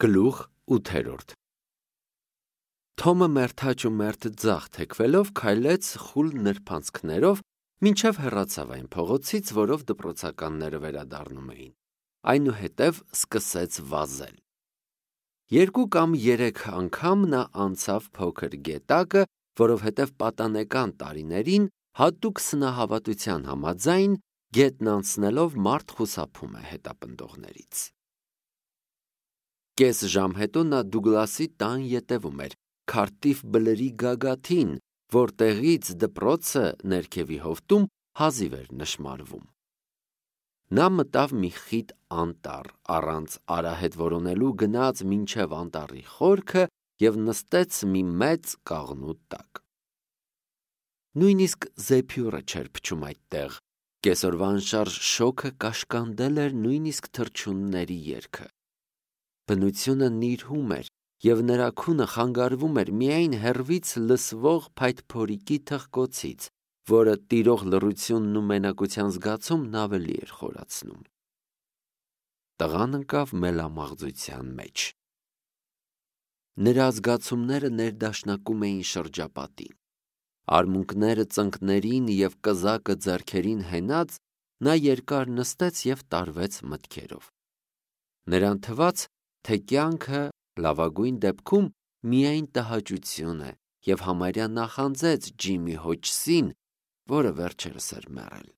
Գլուխ 8 Թոմը մերթաճ ու մերթ ձախ թեքվելով քայլեց խուլ նրբանցքներով, մինչև հեռացավ այն փողոցից, որով դպրոցականները վերադառնում էին, այնուհետև սկսեց վազել։ 2 կամ 3 անգամ նա անցավ փոքր գետակը, որովհետև պատանեկան տարիներին հատուկ սնահավատության համաձայն գետն անցնելով մարդ խուսափում է հետապնդողներից։ Կես ժամ հետո նա Դուգլասի տան ետևում էր, քարտիվ բլրի գագաթին, որտեղից դպրոցը ներքևի հովտում հազիվ էր նշմարվում։ Նա մտավ մի խիտ անտառ, առանց արահետ որոնելու գնաց մինչև անտառի խորքը և նստեց մի մեծ կաղնու տակ։ Նույնիսկ զեփյուռը չէր փչում այդտեղ, կեսօրվա անշարժ շոգը կաշկանդել էր նույնիսկ թռչունների երգը։ Բնությունը նիրհում էր, և նրա քունը խանգարվում էր միայն հեռվից լսվող փայտփորիկի թխկոցից, որը տիրող լռությունն ու մենակության զգացումն ավելի էր խորացնում։ Տղան ընկավ մելամաղձության մեջ։ Նրա զգացումները ներդաշնակում էին շրջապատին։ Արմունկները ծնկներին և կզակը ձեռքերին հենած, նա երկար նստեց և տարվեց մտքերով։ Նրան թվաց, թե կյանքը լավագույն դեպքում միայն տհաճություն է, և համարյա նախանձեց Ջիմի Հոջսին, որը վերջերս էր մեռել։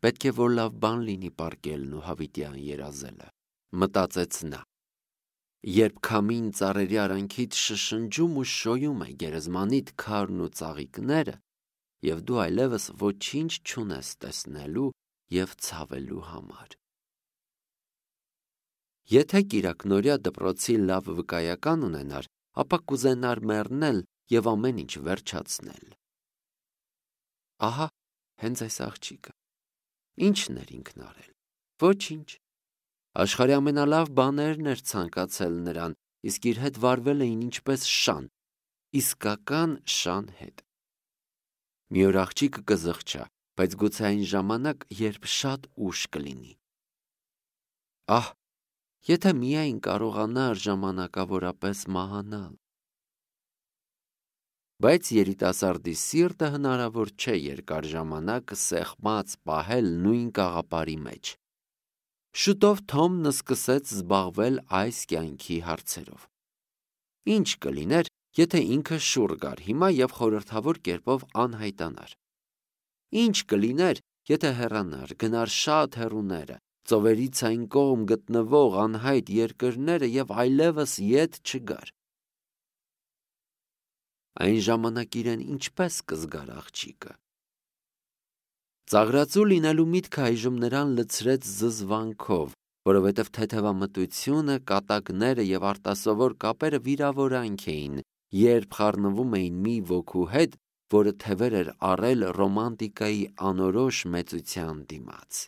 Պետք է որ լավ բան լինի պառկելն ու հավիտյան երազելը, մտածեց նա։ Երբ քամին ծառերի արանքից շշնջում ու շոյում է գերեզմանիդ քարն ու ծաղիկները, և դու այլևս ոչինչ չունես տեսնելու և ցավելու համար։ Եթե կիրակնօրյա դպրոցի լավ վկայական ունենար, ապա կուզենար մեռնել և ամեն ինչ վերջացնել։ Ահա հենց այս աղջիկը։ Ի՞նչն էր ինքն արել։ Ոչինչ։ Աշխարհի ամենալավ բաներն էր ցանկացել նրան, իսկ իր հետ վարվել էին ինչպես շան, իսկական շան հետ։ Մի օր աղջիկը կզղջա, բայց գուցե այն ժամանակ, երբ շատ ուշ կլինի։ Ահ, եթե միայն կարողանար ժամանակավորապես մահանալ։ Բայց երիտասարդի սիրտը հնարավոր չէ երկար ժամանակ սեղմած պահել նույն կաղապարի մեջ։ Շուտով Թոմն սկսեց զբաղվել այս կյանքի հարցերով։ Ինչ կլիներ, եթե ինքը շուռ գար հիմա և խորհրդավոր կերպով անհայտանար։ Ինչ կլիներ, եթե հեռանար, գնար շատ հեռուները, ծովերից այն կողմ գտնվող անհայտ երկրները և այլևս ետ չգար։ Այն ժամանակ իրեն ինչպես կզգար աղջիկը։ Ծաղրածու լինելու միտքը այժմ նրան լցրեց զզվանքով, որովհետև թեթևամտությունը, կատակները և արտասովոր կապերը վիրավորանք էին, երբ խառնվում էին մի ոգու հետ, որը թևեր էր առել ռոմանտիկայի անորոշ մեծության դիմաց։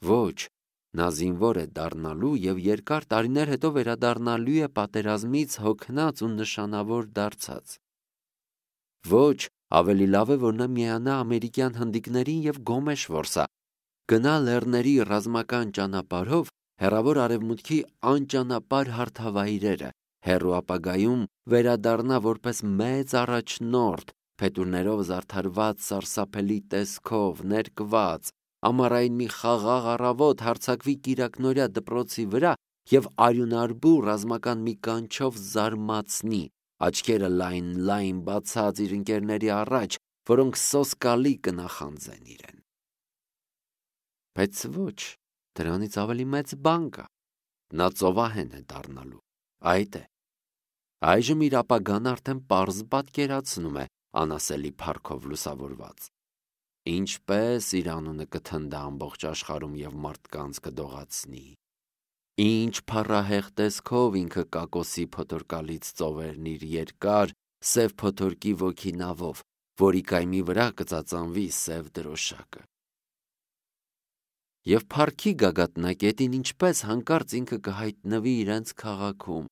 Ոչ, նա զինվոր է դառնալու և երկար տարիներ հետո վերադառնալու է պատերազմից հոգնած ու նշանավոր դարձած։ Ոչ, ավելի լավ է, որ նա միանա ամերիկյան հնդիկներին և գոմեշ որսա, գնա լեռների ռազմական ճանապարհով հեռավոր արևմուտքի անճանապարհ հարթավայրերը, հեռու ապագայում վերադառնա որպես մեծ առաջնորդ, փետուրներով զարդարված սարսափելի տեսքով, ներկված, ամառային մի խաղաղ առավոտ հարձակվի կիրակնօրյա դպրոցի վրա և արյունարբու ռազմական մի կանչով զարմացնի, աչքերը լայն բացած իր ընկերների առաջ, որոնք սոսկալի կնախանձեն իրեն։ Բայց ոչ, դրանից ավելի մեծ բան կա։ Նա ծովահեն է դառնալու, այդ է։ Այժմ իր ապագան արդեն պարզ պատկերացնում է անասելի փառքով լուսավորված։ Ինչպես իր անունը կթնդա ամբողջ աշխարհում և մարդկանց կդողացնի։ Ինչ փառահեղ տեսքով ինքը կակոսի փոթորկալից ծովերն իր երկար, սև փոթորկի ոգինավով, որի կայմի վրա կծածանվի սև դրոշակը։ Եվ փառքի գագաթնակետին ինչպես հանկարծ ինքը կհայտնվի իրենց քաղաքում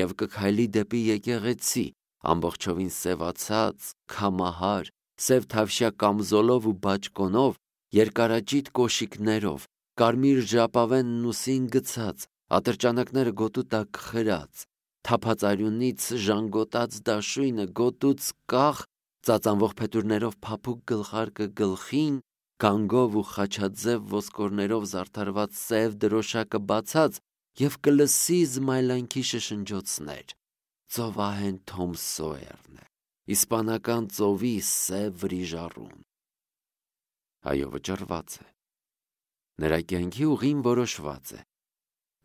և կքայլի դեպի եկեղեցի, ամբողջովին սևացած, քամահար, սև թավշյա կամզոլով ու բաճկոնով, երկարաճիտ կոշիկներով, կարմիր ժապավեն ուսին գցած, Ատրճանակները գոտու տակ խրած, թափած արյունից ժանգոտած դաշույնը գոտուց կախ, ծածանվող փետուրներով փափուկ գլխարկը գլխին, գանգով ու խաչաձև ոսկորներով զարդարված սև դրոշակը բացած և կլսի զմայլանքի շշնջոցներ։ Ծովահեն Թոմ Սոյերն է, իսպանական ծովի սև վրիժառուն։ Այո, վճռված է։ Նրա կյանքի ուղին որոշված է։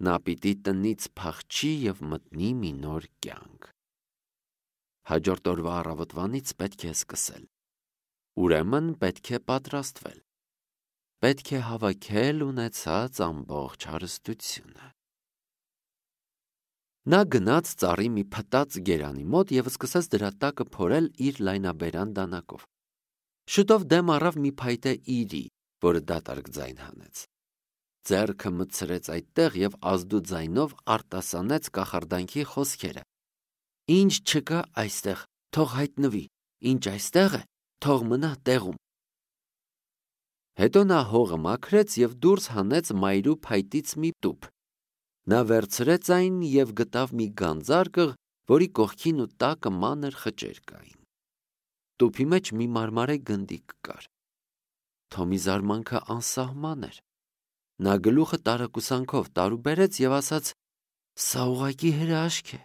Նա պիտի տնից փախչի և մտնի մի նոր կյանք։ Հաջորդ օրվա առավոտվանից պետք է սկսել։ Ուրեմն պետք է պատրաստվել։ Պետք է հավաքել ունեցած ամբողջ հարստությունը։ Նա գնաց ծառի մի փտած գերանի մոտ և սկսեց դրա տակը փորել իր լայնաբերան դանակով։ Շուտով դեմ առավ մի փայտե իրի, որը դատարկ ձայն հանեց։ Ձեռքը մտցրեց այդտեղ և ազդու ձայնով արտասանեց կախարդանքի խոսքերը. «Ինչ չկա այստեղ, թող հայտնվի, ինչ այստեղ է, թող մնա տեղում»։ Հետո նա հողը մաքրեց և դուրս հանեց մայրու փայտից մի տուփ։ Նա վերցրեց այն և գտավ մի գանձարկղ, որի կողքին ու տակը մանր խճեր կային։ Տուփի մեջ մի մարմարե գնդիկ կար։ Թոմի զարմանքը անսահման էր։ Նա գլուխը տարակուսանքով տարուբերեց և ասաց. «Սա ուղղակի հրաշք է»։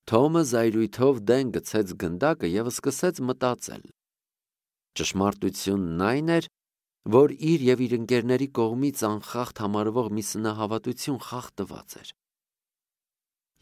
Թոմը զայրույթով դեն գցեց գնդակը և սկսեց մտածել։ Ճշմարտությունն այն էր, որ իր և իր ընկերների կողմից անխախտ համարվող մի սնահավատություն խախտված էր։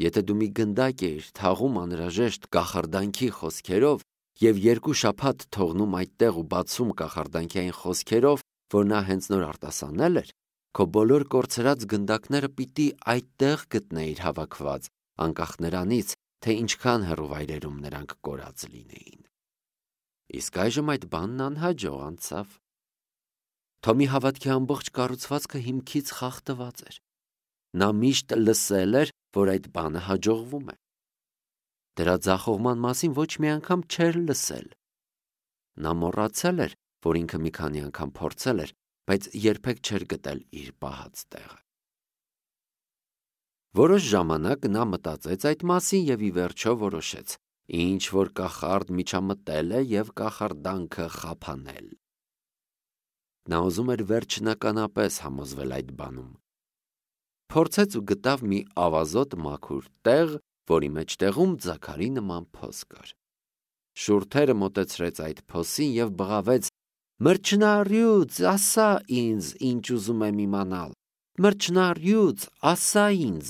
Եթե դու մի գնդակ էիր թաղում անհրաժեշտ կախարդանքի խոսքերով և 2 շաբաթ թողնում այդտեղ ու բացում կախարդանքի այն խոսքերով, որ նա հենց նոր արտասանել էր, քո բոլոր կորցրած գնդակները պիտի այդտեղ գտնեիր հավաքված, անկախ նրանից, թե ինչքան հեռու վայրերում նրանք կորած լինեին։ Իսկ այժմ այդ բանն անհաջող անցավ։ Թոմի հավատքի ամբողջ կառուցվածքը հիմքից խախտված էր։ Նա միշտ լսել էր, որ այդ բանը հաջողվում է։ Դրա ձախողման մասին ոչ մի անգամ չէր լսել։ Նա մոռացել էր, որ ինքը մի քանի անգամ փորձել էր, բայց երբեք չէր գտել իր պահած տեղը։ Որոշ ժամանակ նա մտածեց այդ մասին և ի վերջո որոշեց. ինչ որ կախարդ միջամտել է և կախարդանքը խափանել։ Նա ուզում էր վերջնականապես համոզվել այդ բանում։ Փորձեց ու գտավ մի ավազոտ մաքուր տեղ, որի մեջտեղում ձագարի նման փոս կար։ Շուրթերը մոտեցրեց այդ փոսին և բղավեց. «Մրջնարյուծ, ասա ինձ, ինչ ուզում եմ իմանալ, մրջնարյուծ, ասա ինձ,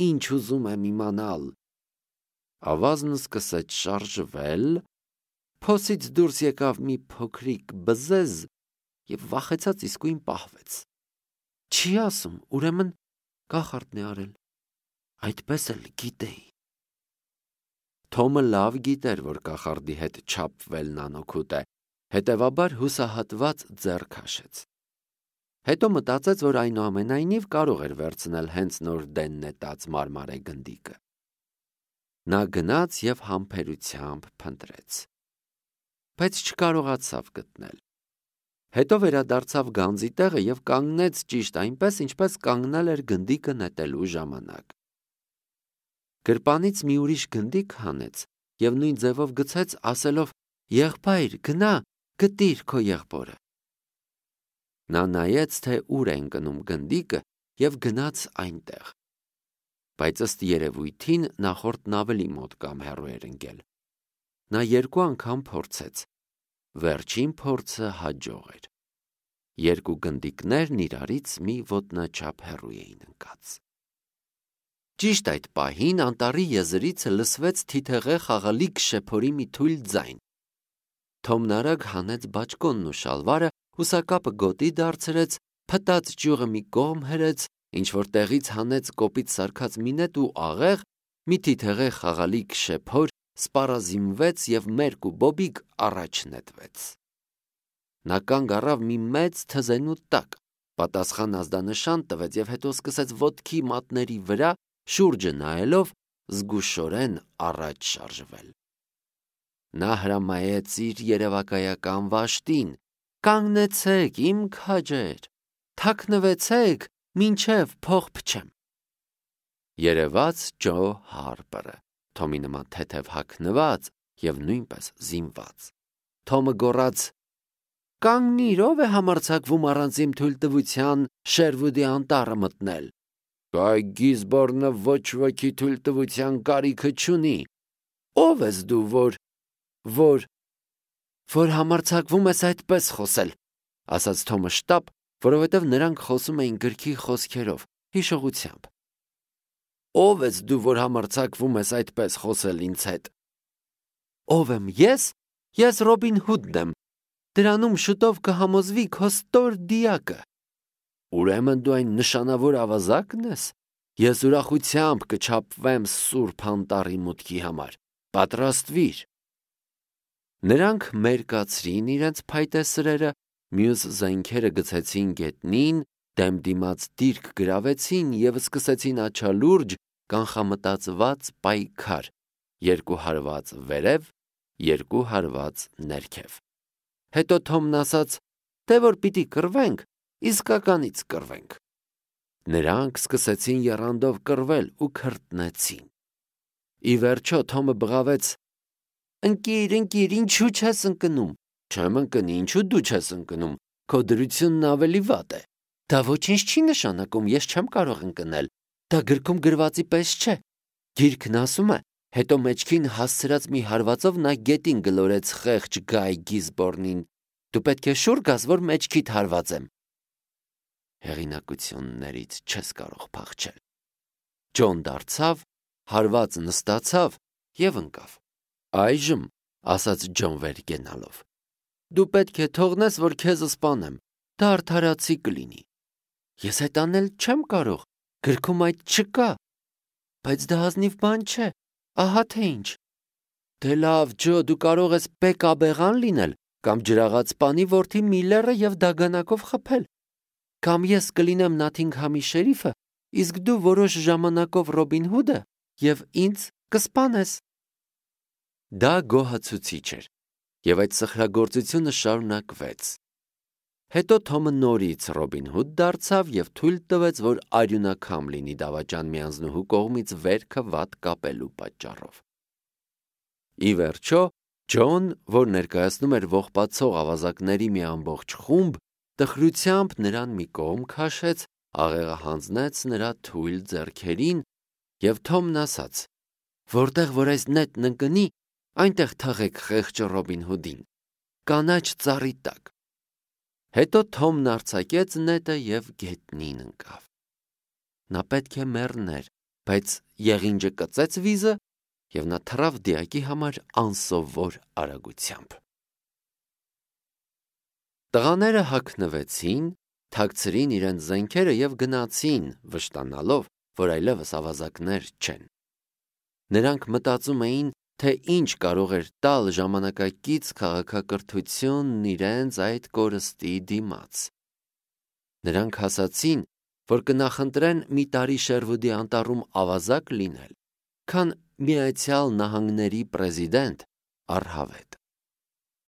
ինչ ուզում եմ իմանալ»։ Ավազն սկսեց շարժվել, փոսից դուրս եկավ մի փոքրիկ բզեզ և վախեցած իսկույն պահվեց։ Չի ասում, ուրեմն կախարդն է արել։ Այդպես էլ գիտեի։ Թոմը լավ գիտեր, որ կախարդի հետ չափվելն անօգուտ է, հետևաբար հուսահատված ձեռ քաշեց։ Հետո մտածեց, որ այնուամենայնիվ կարող էր վերցնել հենց նոր դեն նետած մարմարե գնդիկը։ Նա գնաց և համբերությամբ փնտրեց, բայց չկարողացավ գտնել։ Հետո վերադարձավ գանձի տեղը և կանգնեց ճիշտ այնպես, ինչպես կանգնել էր գնդիկը նետելու ժամանակ։ Գրպանից մի ուրիշ գնդիկ հանեց և նույն ձևով գցեց, ասելով. «Եղբայր, գնա, գտիր քո եղբորը»։ Նա նայեց, թե ուր է ընկնում գնդիկը և գնաց այնտեղ։ Բայց ըստ երևույթին նախորդն ավելի մոտ կամ հեռու էր ընկել։ Նա 2 անգամ փորձեց։ Վերջին փորձը հաջող էր։ 2 գնդիկներն իրարից մի ոտնաչափ հեռու էին ընկած։ Ճիշտ այդ պահին անտառի եզրից լսվեց թիթեղե խաղալիք շեփորի մի թույլ ձայն։ Թոմն արագ հանեց բաճկոնն ու շալվարը, հուսակապը գոտի դարձրեց, փտած ճյուղը մի կողմ հրեց, ինչ-որ տեղից հանեց կոպիտ սարքած մի նետ ու աղեղ, մի թիթեղե խաղալիք շեփոր, սպառազինվեց և մերկ ու բոբիկ առաջ նետվեց։ Նա կանգ առավ մի մեծ թզենու տակ, պատասխան ազդանշան տվեց և հետո սկսեց ոտքի մատների վրա, շուրջը նայելով, զգուշորեն առաջ շարժվել։ Նա հրամայեց իր երևակայական վաշտին. «Կանգնեցեք, իմ քաջեր, թաքնվեցեք, մինչև փող փչեմ։ Երևաց Ջո Հարպերը, Թոմի նման թեթև հագնված և նույնպես զինված։ Թոմը գոռաց. «Կանգնիր, ով է համարձակվում առանց իմ թույլտվության Շերվուդի անտառը մտնել։ Գայ Գիսբորնը ոչ ոքի թույլտվության կարիքը չունի։ Ով ես դու, որ համարձակվում ես այդպես խոսել», ասաց Թոմը շտապ, որովհետև նրանք խոսում էին գրքի խոսքերով, հիշողությամբ։ Ով ես դու, որ համարձակվում ես այդպես խոսել ինձ հետ։ Ով եմ ես։ Ես Ռոբին Հուդն եմ։ Դրանում շուտով կհամոզվի քո ստոր դիակը։ Ուրեմն դու այն նշանավոր ավազակն ես։ Ես ուրախությամբ կչափվեմ Սուրբ Անտառի մուտքի համար։ Պատրաստվիր։ Նրանք մերկացրին իրենց փայտե սրերը, մյուս զենքերը գցեցին գետնին, դեմ դիմաց դիրք գրավեցին և սկսեցին աչալուրջ կանխամտածված պայքար, երկու հարված վերև, երկու հարված ներքև։ Հետո Թոմն ասաց, թե որ պիտի կռվենք, իսկականից կռվենք։ Նրանք սկսեցին եռանդով կռվել ու քրտնեցին։ Ի վերջո Թոմը բղավեց. «Ընկիր, ինչու չես ընկնում»։ Չեմ ընկնի, ինչու դու չես ընկնում։ Քո դրությունն ավելի վատ է։ Դա ոչինչ չի նշանակում, ես չեմ կարող ընկնել։ Դա գրքում գրվածի պես չէ։ Գիրքն ասում է, հետո մեջքին հասցրած մի հարվածով նա գետին գլորեց խեղճ Գայ Գիսբորնին։ Դու պետք է շուռ գաս, որ մեջքիդ հարվածեմ։ Հեղինակություններից չես կարող փախչել։ Ջոն դարձավ, հարված նստացավ և ընկավ։ Այժմ, ասաց Ջոն վեր կենալով, դու պետք է թողնես, որ քեզ սպանեմ, դա արդարացի կլինի։ Ես այդ անել չեմ կարող, գրքում այդ չկա։ Բայց դա ազնիվ բան չէ, ահա թե ինչ։ Դե լավ, Ջո, դու կարող ես Պեկաբեղան լինել, կամ ջրաղացպանի որդի Միլլերը և դագանակով խփել։ Կամ ես կլինեմ Նաթինգհամի շերիֆը, իսկ դու որոշ ժամանակով Ռոբին Հուդը և ինձ կսպանես։ Դա գոհացուցիչ էր, և այդ սխրագործությունը շարունակվեց։ Հետո Թոմը նորից Ռոբին Հուդ դարձավ և թույլ տվեց, որ արյունակամ լինի դավաճան մի անձնուհու կողմից վերքը վատ կապելու պատճառով։ Ի վերջո, Ջոն, որ ներկայացնում էր ողբացող ավազակների մի ամբողջ խումբ, տխրությամբ նրան մի կողմ քաշեց, աղեղը հանձնեց նրա թույլ ձեռքերին, և Թոմն ասաց. «Որտեղ որ այս նետն ընկնի, այնտեղ թաղեք խեղճ Ռոբին Հուդին, կանաչ ծառի տակ»։ Հետո Թոմն արձակեց նետը և գետնին ընկավ։ Նա պետք է մեռներ, բայց եղինջը կծեց վիզը, և նա թռավ դիակի համար անսովոր արագությամբ։ Տղաները հագնվեցին, թաքցրին իրենց զենքերը և գնացին, վշտանալով, որ այլևս ավազակներ չեն։ Նրանք մտածում էին, թե ինչ կարող էր տալ ժամանակակից քաղաքակրթությունն իրենց այդ կորստի դիմաց։ Նրանք ասացին, որ կնախընտրեն մի տարի Շերվուդի անտառում ավազակ լինել, քան Միացյալ Նահանգների պրեզիդենտ առհավետ։